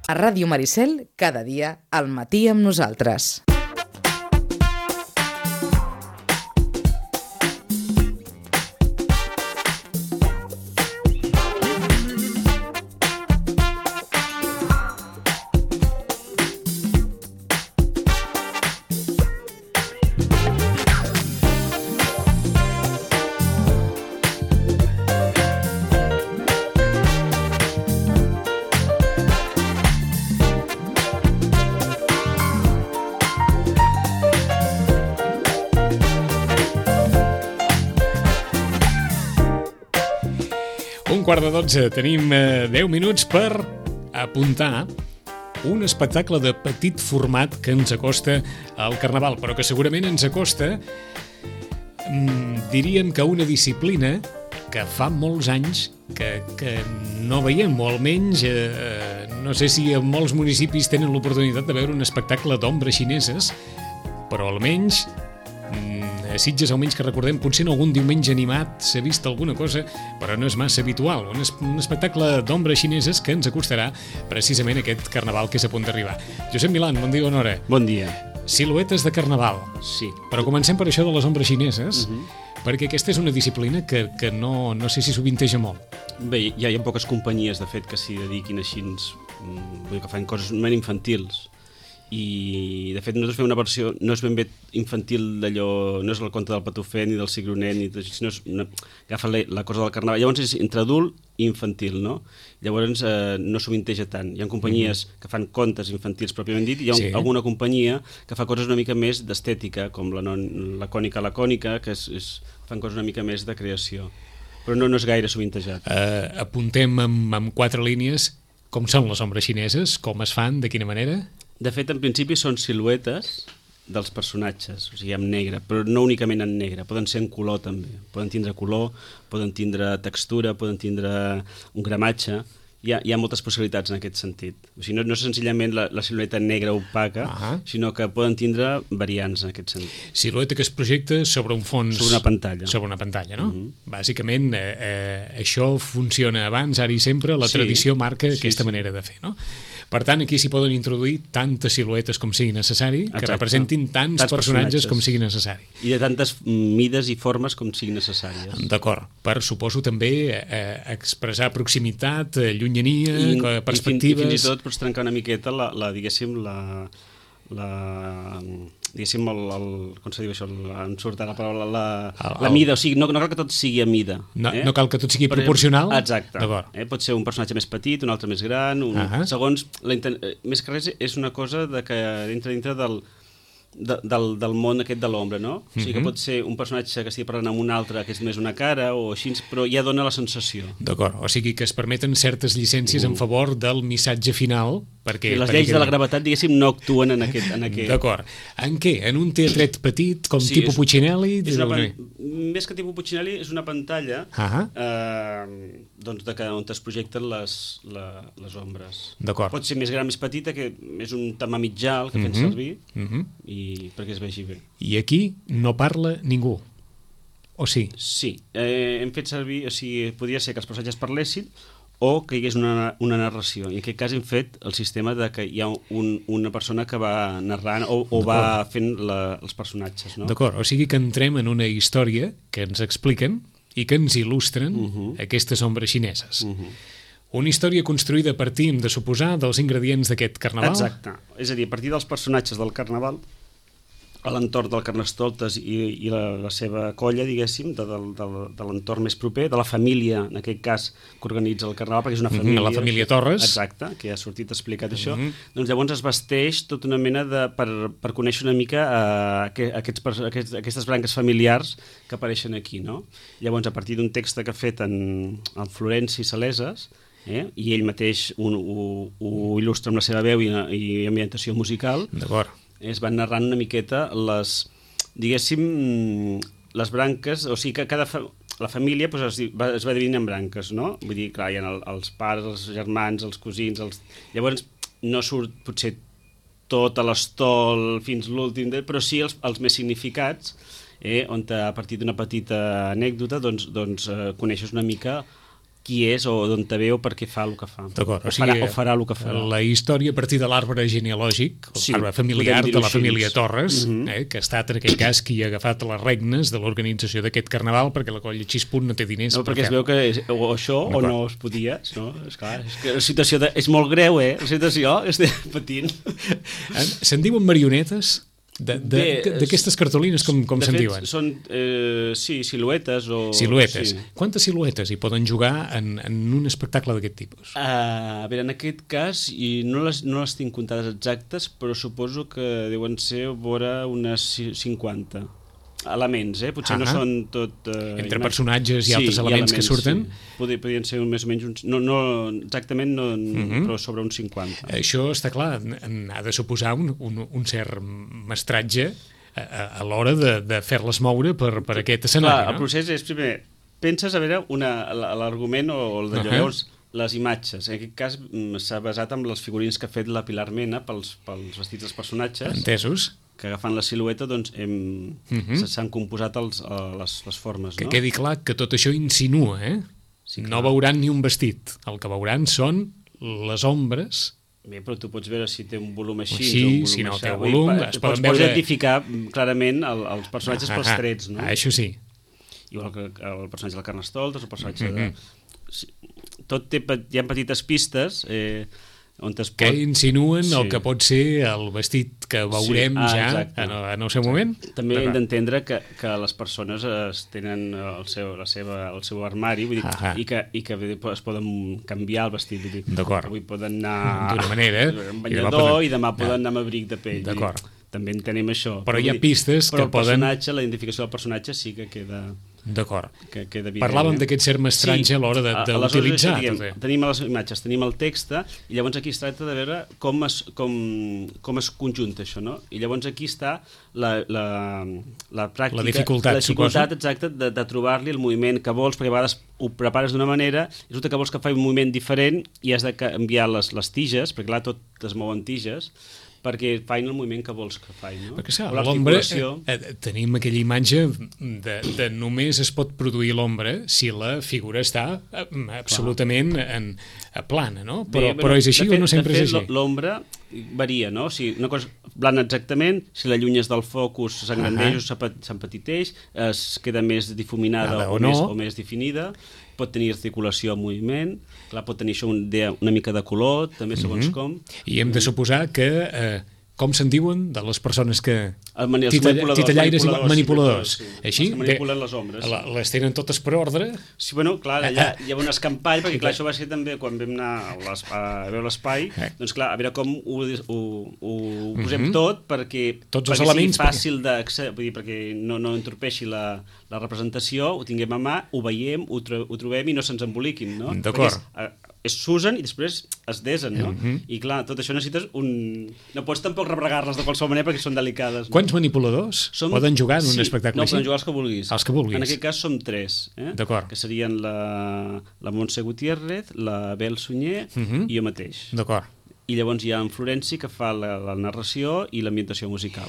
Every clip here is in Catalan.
A Ràdio Maricel, cada dia, al matí amb nosaltres. Quart de 12, tenim 10 minuts per apuntar un espectacle de petit format que ens acosta al Carnaval, però que segurament ens acosta, diríem que una disciplina que fa molts anys que no veiem, o almenys no sé si en molts municipis tenen l'oportunitat de veure un espectacle d'ombres xineses, però almenys a Sitges, almenys que recordem, potser en algun diumenge animat s'ha vist alguna cosa, però no és massa habitual. Un espectacle d'ombres xineses que ens acostarà precisament aquest Carnaval que és a punt d'arribar. Josep Milán, bon dia, bona hora. Bon dia. Siluetes de Carnaval. Sí. Però comencem per això de les ombres xineses, perquè aquesta és una disciplina que no sé si sovinteja molt. Bé, ja hi ha poques companyies, de fet, que s'hi dediquin així, vull dir que fan coses només infantils. I de fet nosaltres fem una versió, no és ben bé infantil d'allò, no és el conte del Patufet ni del Cigronet, sinó agafa la cosa del Carnaval, llavors és entre adult i infantil, no? Llavors no sovinteja tant. Hi ha companyies que fan contes infantils pròpiament dit, i hi ha alguna companyia que fa coses una mica més d'estètica, com la Cònica, que fan coses una mica més de creació, però no és gaire sovintejat. Apuntem amb 4 línies com són les ombres xineses, com es fan, de quina manera? De fet, en principi són siluetes dels personatges, o sigui, en negre, però no únicament en negre, poden ser en color també. Poden tindre color, poden tindre textura, poden tindre un gramatge. Hi ha moltes possibilitats en aquest sentit. O sigui, no és senzillament la silueta negra opaca, sinó que poden tindre variants en aquest sentit. Silueta que es projecta sobre un fons... Sobre una pantalla. Sobre una pantalla, no? Bàsicament, això funciona abans, ara i sempre, la tradició marca aquesta manera de fer, no? Per tant, aquí s'hi poden introduir tantes siluetes com sigui necessari, que representin tants personatges com sigui necessari. I de tantes mides i formes com siguin necessàries. D'acord. Per, suposo, també expressar proximitat, llunyania, perspectives... I fins i tot pots trencar una miqueta com se diu això, em surt ara la paraula, la mida, o sigui, no cal que tot sigui a mida. No cal que tot sigui proporcional? Exacte. Pot ser un personatge més petit, un altre més gran, segons, més que res és una cosa que entra dintre del món aquest de l'ombra, no? O sigui que pot ser un personatge que estigui parlant amb un altre que és només una cara o així, però ja dona la sensació. D'acord, o sigui que es permeten certes llicències en favor del missatge final, perquè... I les lleis de la gravetat, diguéssim, no actuen en aquest... D'acord. En què? En un teatret petit, com tipus Puccinelli? Més que tipus Puccinelli, és una pantalla on es projecten les ombres. D'acord. Pot ser més gran, més petita, que és un tamà mitjà el que fem servir, perquè es vegi bé. I aquí no parla ningú, o sí? Sí, hem fet servir, o sigui, podria ser que els personatges parlessin o que hi hagués una narració. I en aquest cas hem fet el sistema de que hi ha una persona que va narrant o va fent els personatges. No? D'acord, o sigui que entrem en una història que ens expliquen i que ens il·lustren aquestes ombres xineses. Una història construïda a partir, hem de suposar, dels ingredients d'aquest Carnaval? Exacte. És a dir, a partir dels personatges del Carnaval, a l'entorn del Carnestoltes i la seva colla, diguéssim, de l'entorn més proper, de la família, en aquest cas, que organitza el Carnaval, perquè és una família... La família Torres. Exacte, que ja ha sortit explicat això. Doncs llavors es vesteix tota una mena per conèixer una mica aquestes branques familiars que apareixen aquí, no? Llavors, a partir d'un text que ha fet en Florenci Saleses, i ell mateix ho il·lustra amb la seva veu i ambientació musical. D'acord. Es van narrant una miqueta les branques, o sigui que la família es va dividint en branques, no? Vull dir, clar, hi ha els pares, els germans, els cosins, llavors no surt potser tot a l'estol fins l'últim, però sí els més significats, on a partir d'una petita anècdota doncs coneixes una mica qui és o d'on te ve o per què fa el que fa. D'acord, o farà el que farà. La història a partir de l'arbre genealògic, l'arbre familiar de la família Torres, que ha estat en aquell cas qui ha agafat les regnes de l'organització d'aquest carnaval, perquè la colla Xispunt no té diners. No, perquè es veu que o això o no es podia, no? Esclar, és que la situació és molt greu, la situació estem patint. Se'n diuen marionetes? D'aquestes cartolines, com se'n diuen? Són, sí, siluetes o... Siluetes. Sí. Quantes siluetes hi poden jugar en un espectacle d'aquest tipus? A veure, en aquest cas, i no les tinc comptades exactes, però suposo que deuen ser vora unes 50 elements, potser no són tot... Entre personatges i altres elements que surten? Sí. Podrien ser més o menys, no exactament, però sobre uns 50. Això està clar, ha de suposar un cert mestratge a l'hora de fer-les moure per aquest escenari. Clar, el procés és, primer, penses a veure l'argument o el de llavors, les imatges. En aquest cas s'ha basat en les figurins que ha fet la Pilar Mena pels vestits dels personatges. Entesos. Que agafant la silueta doncs s'han composat les formes. Que quedi clar que tot això insinua, Sí, no veuran ni un vestit. El que veuran són les ombres. Bé, però tu pots veure si té un volum així o un volum si no té volum, es poden veure... Pots identificar clarament els personatges pels trets, no? Això sí. Igual que el personatge del Carnestoltes, el personatge de... Hi ha petites pistes... que insinuen el que pot ser el vestit que veurem ja en el seu moment. També hem d'entendre que les persones tenen el seu armari, vull dir, i que es poden canviar el vestit. D'acord. Avui poden anar d'una manera amb banyador i demà poden anar amb abric de pell. D'acord. També en tenim això. Però hi ha pistes que poden... Però la identificació del personatge sí que queda... D'acord. Evident. Parlàvem d'aquest cert mestratge a l'hora d'utilitzar. Tenim les imatges, tenim el text, i llavors aquí es tracta de veure com es conjunta això, no? I llavors aquí està la pràctica... La dificultat, suposo. Exacta, de trobar-li el moviment que vols, perquè a vegades ho prepares d'una manera, i resulta que vols que faci un moviment diferent i has de canviar les tiges, perquè clar, tot es mouen tiges, perquè fain el moviment que vols que faci, no? Perquè, a l'ombra tenim aquella imatge de només es pot produir l'ombra si la figura està absolutament plana, no? Però és així o no sempre és així? L'ombra varia, no? O sigui, una cosa plana exactament, si l'allunyes del focus s'engrandeix o s'empetiteix, es queda més difuminada o més definida, pot tenir articulació en moviment, clar, pot tenir això una mica de color, també segons com. I hem de suposar que, com se'n diuen de les persones que... Titellaires i manipuladors. Així? Manipulen les ombres. Les tenen totes per ordre. Sí, bueno, clar, allà hi ha un escampall, perquè clar, això va ser també quan vam anar a veure l'espai, doncs clar, a veure com ho posem tot perquè sigui fàcil d'accedir, perquè no entorpeixi la representació, ho tinguem a mà, ho veiem, ho trobem i no se'ns emboliquin, no? D'acord. S'usen i després es desen, no? I clar, tot això necessites no pots tampoc rebregar-les de qualsevol manera perquè són delicades. Quants manipuladors poden jugar en un espectacle així? No, poden jugar els que vulguis. Els que vulguis. En aquest cas som 3, D'acord. Que serien la Montse Gutiérrez, la Bel Sunyer i jo mateix. D'acord. I llavors hi ha en Florenci que fa la narració i l'ambientació musical.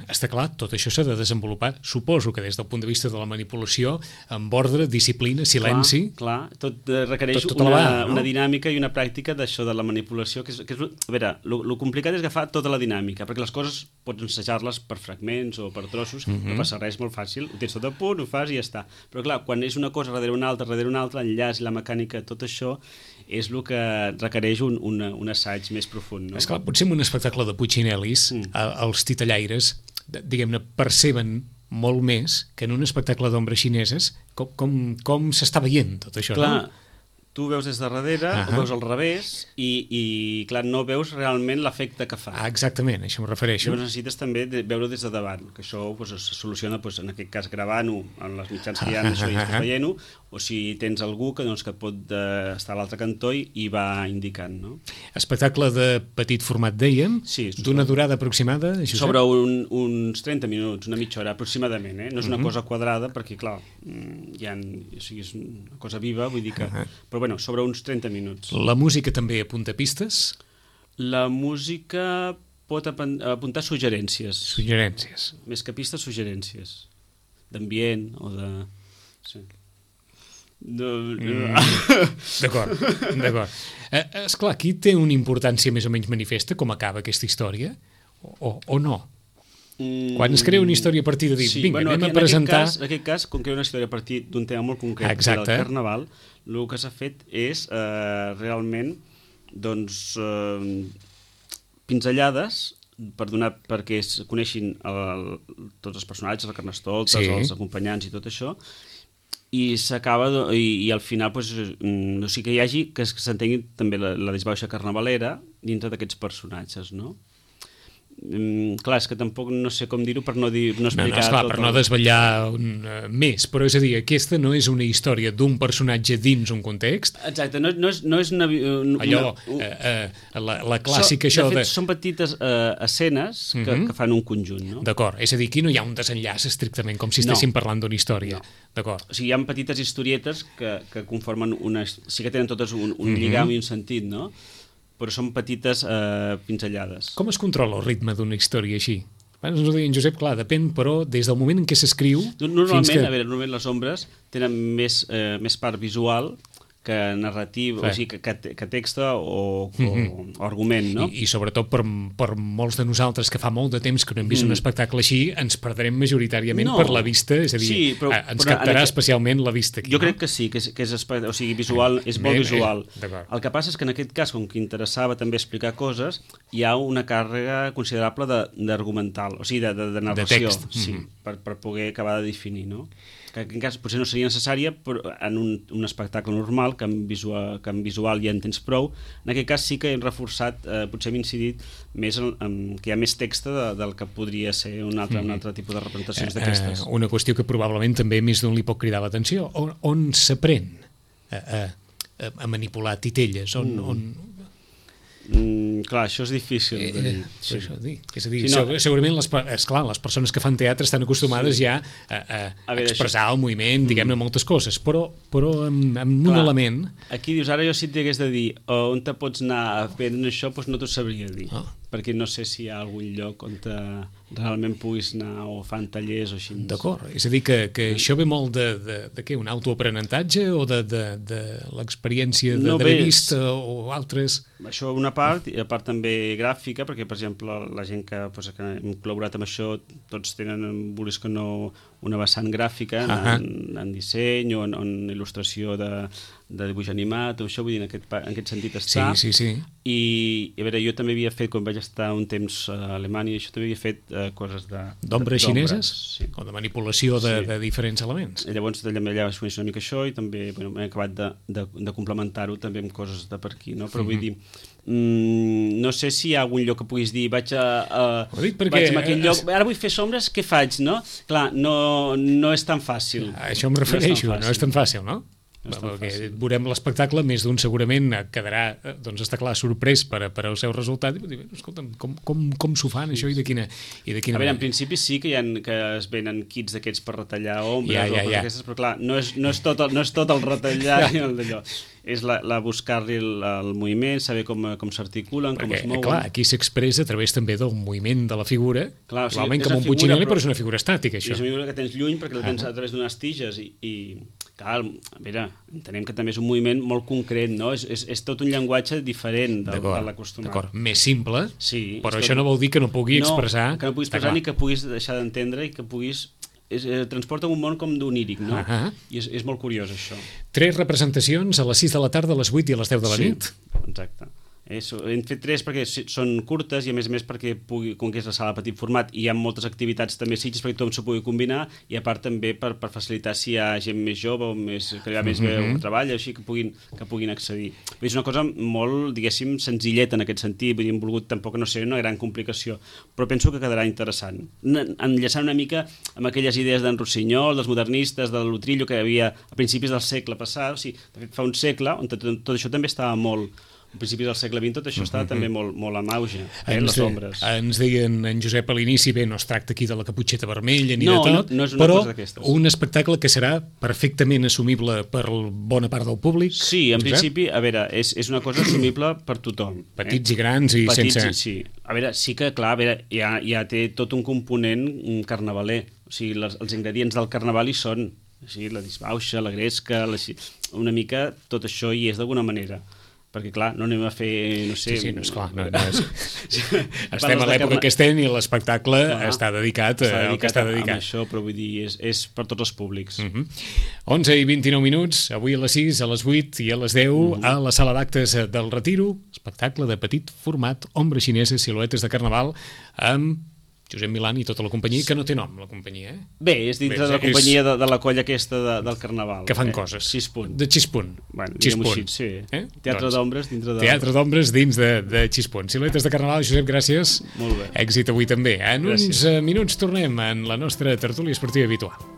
Està clar, tot això s'ha de desenvolupar, suposo que des del punt de vista de la manipulació, amb ordre, disciplina, silenci... Clar, tot requereix una dinàmica i una pràctica d'això de la manipulació, que és, a veure, el complicat és agafar tota la dinàmica, perquè les coses pots ensejar-les per fragments o per trossos, no passa res, molt fàcil, ho tens tot a punt, ho fas i ja està. Però clar, quan és una cosa darrere una altra, enllaç i la mecànica, tot això és el que requereix un assaig més profund. No? Esclar, potser en un espectacle de Puccinellis els titellaires, diguem-ne, perceben molt més que en un espectacle d'ombres xineses com s'està veient tot això. Clar, no? Tu veus des de darrere, ho veus al revés i clar, no veus realment l'efecte que fa. Exactament, això em refereixo. Llavors necessites també veure-ho des de davant, que això es soluciona en aquest cas gravant-ho en les mitjans que hi ha, això i estàs veient-ho, o si tens algú que pot estar a l'altre cantó i va indicant. No? Espectacle de petit format, dèiem, d'una durada aproximada? Sobre uns 30 minuts, una mitja hora aproximadament, no és una cosa quadrada perquè clar, és una cosa viva, vull dir que... Però bueno, sobre uns 30 minuts. La música també apunta pistes? La música pot apuntar suggerències. Suggerències. Més que pistes, suggerències. D'ambient o de... Sí. D'acord. Esclar, aquí té una importància més o menys manifesta com acaba aquesta història? O no? Quan es crea una història a partir de dir, vinga, anem a presentar... En aquest cas, com que hi ha una història a partir d'un tema molt concret, del Carnaval, el que s'ha fet és realment pinzellades perquè es coneixin tots els personatges, el Carnestoltes, els acompanyants i tot això, i s'acaba i al final o sigui que hi hagi que s'entengui també la disbauxa carnavalera dintre d'aquests personatges, no? Clar, és que tampoc no sé com dir-ho per no explicar tot. Per no desvetllar més, però és a dir, aquesta no és una història d'un personatge dins un context. Exacte, no és una... la clàssica això de... Són petites escenes que fan un conjunt, no? D'acord, és a dir, aquí no hi ha un desenllaç estrictament, com si estéssim parlant d'una història. D'acord. O sigui, hi ha petites historietes que conformen sí que tenen totes un lligam i un sentit, no? Però són petites pinzellades. Com es controla el ritme d'una història així? Abans ens ho deia en Josep, clar, depèn, però des del moment en què s'escriu... Normalment les ombres tenen més part visual que narratiu, o sigui, que text o argument, no? I sobretot per molts de nosaltres que fa molt de temps que no hem vist un espectacle així, ens perdrem majoritàriament per la vista, és a dir, ens captarà especialment la vista aquí. Jo crec que sí, que és visual, és molt visual. El que passa és que en aquest cas, com que interessava també explicar coses, hi ha una càrrega considerable d'argumental, o sigui, de narració, per poder acabar de definir, no? Que en cas potser no seria necessària però en un espectacle normal que en visual ja en tens prou. En aquest cas sí que hem reforçat, potser hem incidit més que hi ha més text del que podria ser un altre tipus de representacions d'aquestes. Una qüestió que probablement també més d'un li pot cridar l'atenció. On s'aprèn a manipular titelles? Clar, això és difícil de dir. És a dir, segurament les persones que fan teatre estan acostumades ja a expressar el moviment, diguem-ne, moltes coses, però amb un element... Aquí dius, ara jo si t'hagués de dir on te pots anar a aprendre això, doncs no t'ho sabria dir, perquè no sé si hi ha algun lloc on realment puguis anar o fan tallers o així. D'acord, és a dir que això ve molt de què, un autoaprenentatge o de l'experiència d'haver vist o altres... Això una part, i a part també gràfica, perquè per exemple la gent que hem col·laborat amb això tots tenen, vulguis que no, una vessant gràfica en disseny o en il·lustració de dibuix animat, això vull dir, en aquest sentit està. Sí. I a veure, jo també havia fet, quan vaig estar un temps a Alemanya, això també havia fet coses d'ombres xineses? O de manipulació de diferents elements? I llavors allà es coneix una mica això i també hem acabat de complementar-ho també amb coses de per aquí, no? Però vull dir, no sé si hi ha algun lloc que puguis dir vaig a aquell lloc, ara vull fer sombres, què faig, no? Clar, no és tan fàcil. A això em refereixo, no és tan fàcil, no? Perquè veurem l'espectacle, més d'un segurament quedarà, doncs està clar, sorprès per al seu resultat i dir, escolta'm, com s'ho fan això i de quina manera? A veure, en principi sí que es venen kits d'aquests per retallar ombres o coses d'aquestes, però clar, no és tot el retallar i el d'allò. És buscar-li el moviment, saber com s'articulen, com es mouen. Clar, aquí s'expressa a través també del moviment de la figura, realment com un Puccinelli, però és una figura estàtica, això. És una figura que tens lluny perquè la tens a través d'unes tiges i clar, a veure, entenem que també és un moviment molt concret, no? És tot un llenguatge diferent de l'acostumat. D'acord, més simple, però això no vol dir que no pugui expressar... No, que no puguis expressar ni que puguis deixar d'entendre i que puguis... transporta un món com d'oníric, no? I és molt curiós, això. 3 representacions a les 6 de la tarda, a les 8 i a les 10 de la nit. Exacte. Hem fet 3 perquè són curtes i a més perquè com que és la sala de petit format i hi ha moltes activitats també sitges perquè tothom s'ho pugui combinar i a part també per facilitar si hi ha gent més jove o que hi ha més veu que treballa, així que puguin accedir. És una cosa molt, diguéssim, senzilleta en aquest sentit, vull dir, hem volgut tampoc no ser una gran complicació, però penso que quedarà interessant. Enllaçant una mica amb aquelles idees d'en Rossinyol, dels modernistes, de l'Utrillo que hi havia a principis del segle passat, o sigui, de fet fa un segle on tot això també estava molt... A principis del segle XX tot això estava també molt en auge, les ombres. Ens deien en Josep a l'inici, bé, no es tracta aquí de la caputxeta vermella ni de tot, no és una però cosa d'aquestes. Un espectacle que serà perfectament assumible per bona part del públic. Sí, en principi, a veure, és una cosa assumible per tothom. Petits i grans i sense... Sí. A veure, sí que, clar, a veure, ja té tot un component carnavaler. O sigui, els ingredients del carnaval hi són. així, la disbauxa, la gresca, una mica tot això hi és d'alguna manera. Perquè, clar, no anem a fer, no sé... Sí, no és clar. No és... Estem a l'època que estem i l'espectacle està dedicat al que està dedicat. A això, però vull dir, és per tots els públics. 11 i 29 minuts, avui a les 6, a les 8 i a les 10, a la sala d'actes del Retiro, espectacle de petit format, ombres xineses, siluetes de carnaval, amb Josep Milán i tota la companyia, que no té nom, la companyia, Bé, és dintre de la companyia de la colla aquesta del Carnaval. Que fan coses. Xispunt. De Xispunt. Bueno, diguem-ho així, sí. Teatre d'ombres dintre de... Teatre d'ombres dins de Xispunt. Siluetes de Carnaval, Josep, gràcies. Molt bé. Èxit avui també. En uns minuts tornem en la nostra tertúlia esportiva habitual.